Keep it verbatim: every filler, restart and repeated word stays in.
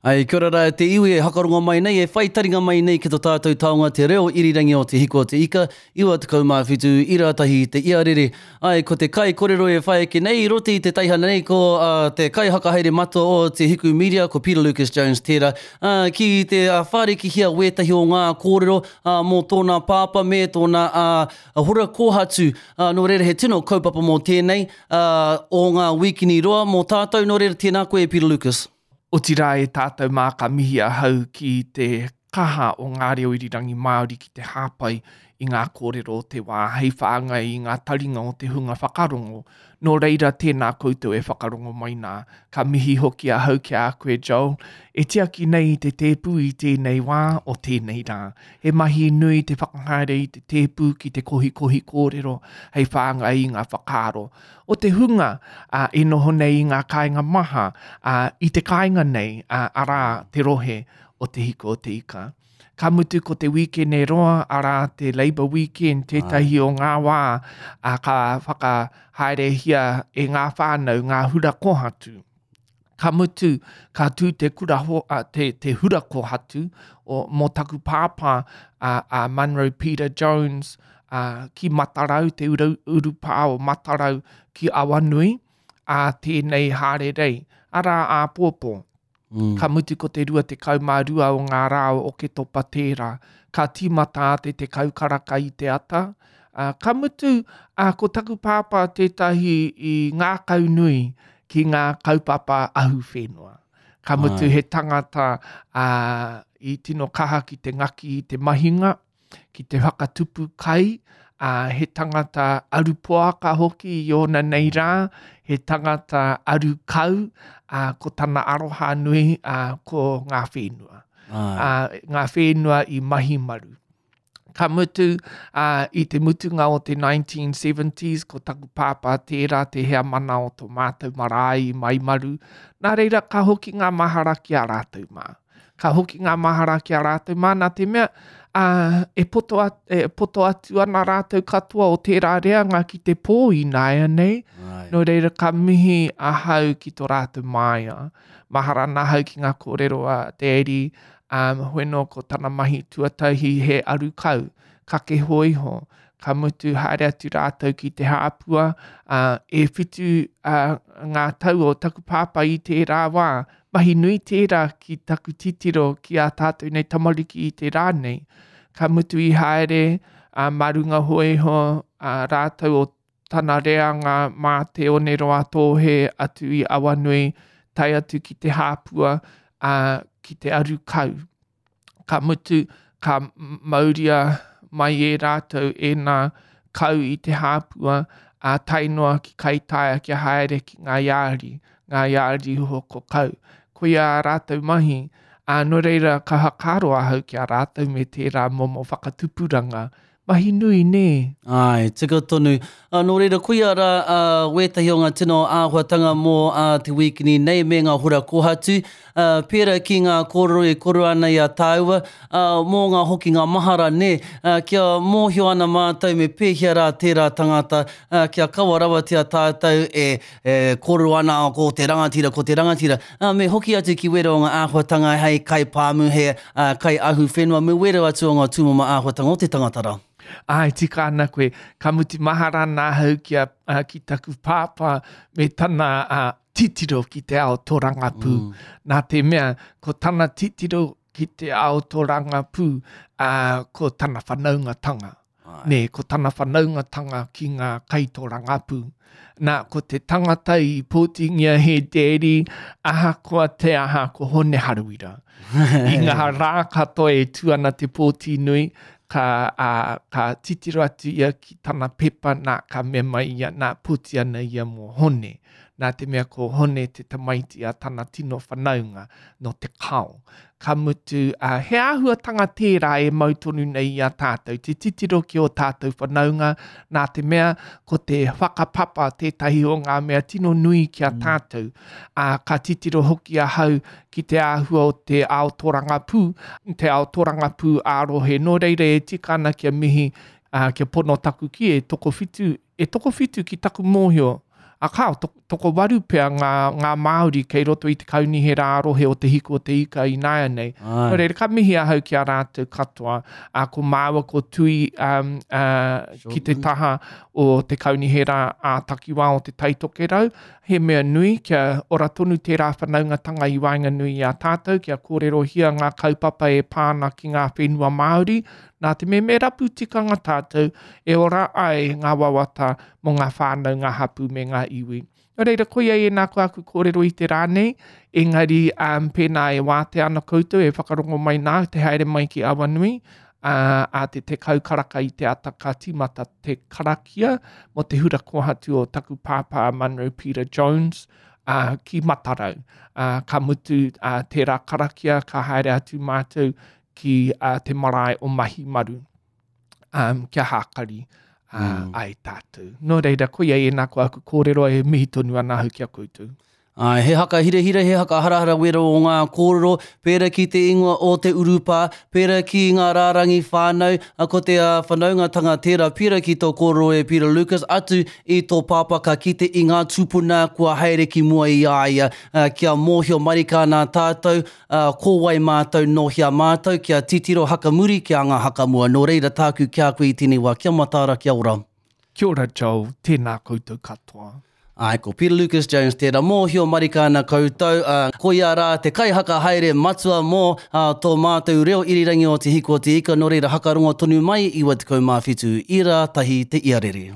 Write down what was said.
Ai, kia ora rā te iwi e hakarongo mai nei, e whai taringa mai nei ki tō tātou taonga te reo irirangi o Te Hiko o Te Ika, iwa tekau mā whitu, ira tahi te iarere. Ai, ko te kai korero e whai ake nei, i roto i te teihana nei, ko uh, te kai hakahaere matua o Te Hiku Media, ko Peter Lucas Jones tērā, uh, ki te uh, whārikihia wētahi o ngā kōrero uh, mō tōna pāpā me tōna uh, hora kōhatu. Uh, nō reira he tino kaupapa mō tēnei uh, o ngā wīkini roa mō tātou, nō reira tēnā koe Peter Lucas. Otirā e tātou mā ka mihi ahau ki te kaha o ngā reo irirangi Māori ki te hāpai i ngā kōrero o te wā, hei whāngai i ngā taringa o te hunga whakarongo. Nō reira tēnā koutou e whakarongo mai nā. Ka mihi hoki ahau ki a koe, Joel. E tiaki nei i te tēpu i tēnei wā o tēnei rā. He mahi nui te whakahaere i te tēpu ki te kohikohi kōrero hei whāngai i ngā whakaaro. O te hunga uh, e noho nei i ngā kāinga maha, uh, i te kāinga nei, uh, arā te rohe o Te Hiko o Te Ika. Ka mutu ko te wīkene roa, arā te Labour Weekend, tētahi o ngā wā a, ka whakahaerehia e ngā whānau, ngā hura kōhatu. Ka mutu, ka tū te, kura ho, a, te, te hura kōhatu o, mō taku pāpā a, a Munro Peter Jones a, ki Matarau, te uru, urupā o Matarau ki Awanui, a tēnei hārerei, arā āpōpō. Mm. Ka mutu ko te rua tekau mā rua o ngā rā o Oketopa tērā. Ka tīmata te tekau karaka i te ata. Uh, ka mutu, uh, ko taku pāpā tētahi i ngākau nui ki ngā kaupapa ahuwhenua. Ka mutu Ai. He tangata uh, i tino kaha ki te ngaki i te mahinga, ki te whakatupu kai, uh, he tangata arupoaka hoki i ōna nei rā, he tangata arukau, uh, ko tana aroha nui uh, ko ngā whenua. Uh, ngā whenua i mahi maru. Ka mutu, uh, i te mutunga o te nineteen seventies, ko taku pāpā tērā te heamana o tō mātou marae i Maimaru. Nā reira, ka hoki ngā mahara ki a rātou mā. Ka hoki ngā mahara ki a rātou mā, nā te mea, uh, e, poto at, e poto atu ana rātou katoa o tērā reanga ki te pō i nāianei. Nō reira, ka mihi ahau ki tō rātou māia. Mahara ana ahau ki ngā kōrero a Daddy, um, hoeno ko tana mahi tuatahi he arukau, kake hōiho. Ka mutu haere atu rātou ki te hāpua, uh, e whitu uh, ngā tau o taku pāpā i tērā wā. Mahi nui tērā ki taku titiro ki a tātou nei tamariki i te rā nei. Ka mutu i haere uh, mā runga hōiho uh, rātou o tana reanga mā te oneroa tōhe atu i Awanui, tae atu ki te hāpua, uh, ki te arukau. Ka mutu, ka mauria mai e rātou e nā kau i te hāpua, a tae noa ki Kaitaia kia haere ki ngā iāri, ngā iāri hoko kau. Koia a rātou mahi, a nō reira ka hakaro ahau ki a rātou me tērā momo whakatupuranga. Mahi nui, nē? Ai, tika tonu. Uh, nō reira, koia rā uh, wētahi o ngā tino āhuatanga mō uh, te wīkini nei me ngā hura kōhatu. Uh, pērā ki ngā kōrero e koro ana i a tāua, uh, mō ngā hoki ngā mahara, nē, uh, kia mōhio ana mātou me pēhea rā tērā tangata, uh, kia kawa rawatia tātou e, e kōrero ana ko te rangatira, ko te rangatira. Uh, me hoki atu ki wera o ngā āhuatanga hei kai pāmu, he uh, kai ahu whenua, me wera atu o ngā tūmomo āhuatanga o te tangata rā. Ai, tika ana koe, ka mutu mahara ana ahau ki, a, uh, ki taku pāpā me tana uh, titiro ki te ao tōrangapū. Mm. Nā te mea, ko tana titiro ki te ao tōrangapū, uh, ko tana whanaungatanga. Ai. Nē, ko tana whanaungatanga ki ngā kaitōrangapū. Nā, ko te tangata i pōtingia he daddy, ahakoa te aha ko Hone Haruira. I ngā rā katoa e tū ana te pōti nui, ka, uh, ka titiro atu ia ki tana pepa, nā, ka mea mai ia, nā, pōti ana ia mō Hone. Nā te mea ko Hone te tamaiti a tana tino whanaunga no te kao. Ka mutu, uh, he āhuatanga tērā e mau tonu nei i a tātou, te titiro ki o tātou whanaunga, nā te mea ko te whakapapa tētahi o ngā mea tino nui ki a tātou. Uh, ka titiro hoki ahau ki te āhua o te ao tōrangapū, te ao tōrangapū ā-rohe. Nō reira e tika ana kia mihi, uh, kia pono taku ki e tokowhitu, e tokowhitu ki taku mōhio, a kao, Tokowaru pea ngā, ngā Māori kei roto i te kaunihera ā-rohe o Te Hiku o Te Ika ināianei. Āe. Nō reira, ka mihi ahau ki a rātou katoa. Ā, ko māua ko Tui um, uh, ki te taha o te kaunihera ā-takiwā o Te Tai Tokerau. He mea nui kia ora tonu tērā whanaungatanga i waenganui i a tātou, kia kōrerohia ngā kaupapa e pā ana ki ngā whenua Māori. Nā te mea me rapu tikanga tātou e ora ai ngā wawata mō ngā whānau, ngā hapū me ngā iwi. Nō reira, koia ēnā ko aku kōrero i te rā nei, engari um, pēnā e wātea ana koutou e whakarongo mai nā te haere mai ki Awanui, ā, a te tekau karaka i te ata ka tīmata te karakia mō te hura kōhatu o taku pāpā Munro Peter Jones, ā, ki Matarau. Ā, ka mutu ā, tērā karakia ka haere atu mātou ki ā, te marae o Mahimaru, um, kia hākari uh, mm. ai tātou. Nō reira, koia ēnā ko aku kōrero e mihi tonu ana ahau ki a koutou. Āe, he haka hirahira, he haka harahara wera o ngā kōrero, pērā ki te ingoa o te urupā, pērā ki ngā rārangi whānau, a, ko te uh, whanaungatanga tērā, pērā ki tō kōrero e Peter Lucas, atu i tō pāpā ka kite i ngā tūpuna kua haere ki mua i a ia, uh, kia mōhio marika ana tātou, uh, ko wai mātou, nō hea mātou, kia titiro hakamuri, kia anga hakamua. Nō reira tāku ki a koe i tēnei wā, kia mataara, kia ora. Kia ora Joel, tēnā koutou katoa. Āe, ko Peter Lucas Jones tērā, mōhio marika ana koutou, ā, koia rā te kaihaka haere matua mō ā, tō mātou reo irirangi o Te Hiku o Te Ika, nō reira hakarongo tonu mai, iwa tekau mā whitu ira tahi te iarere.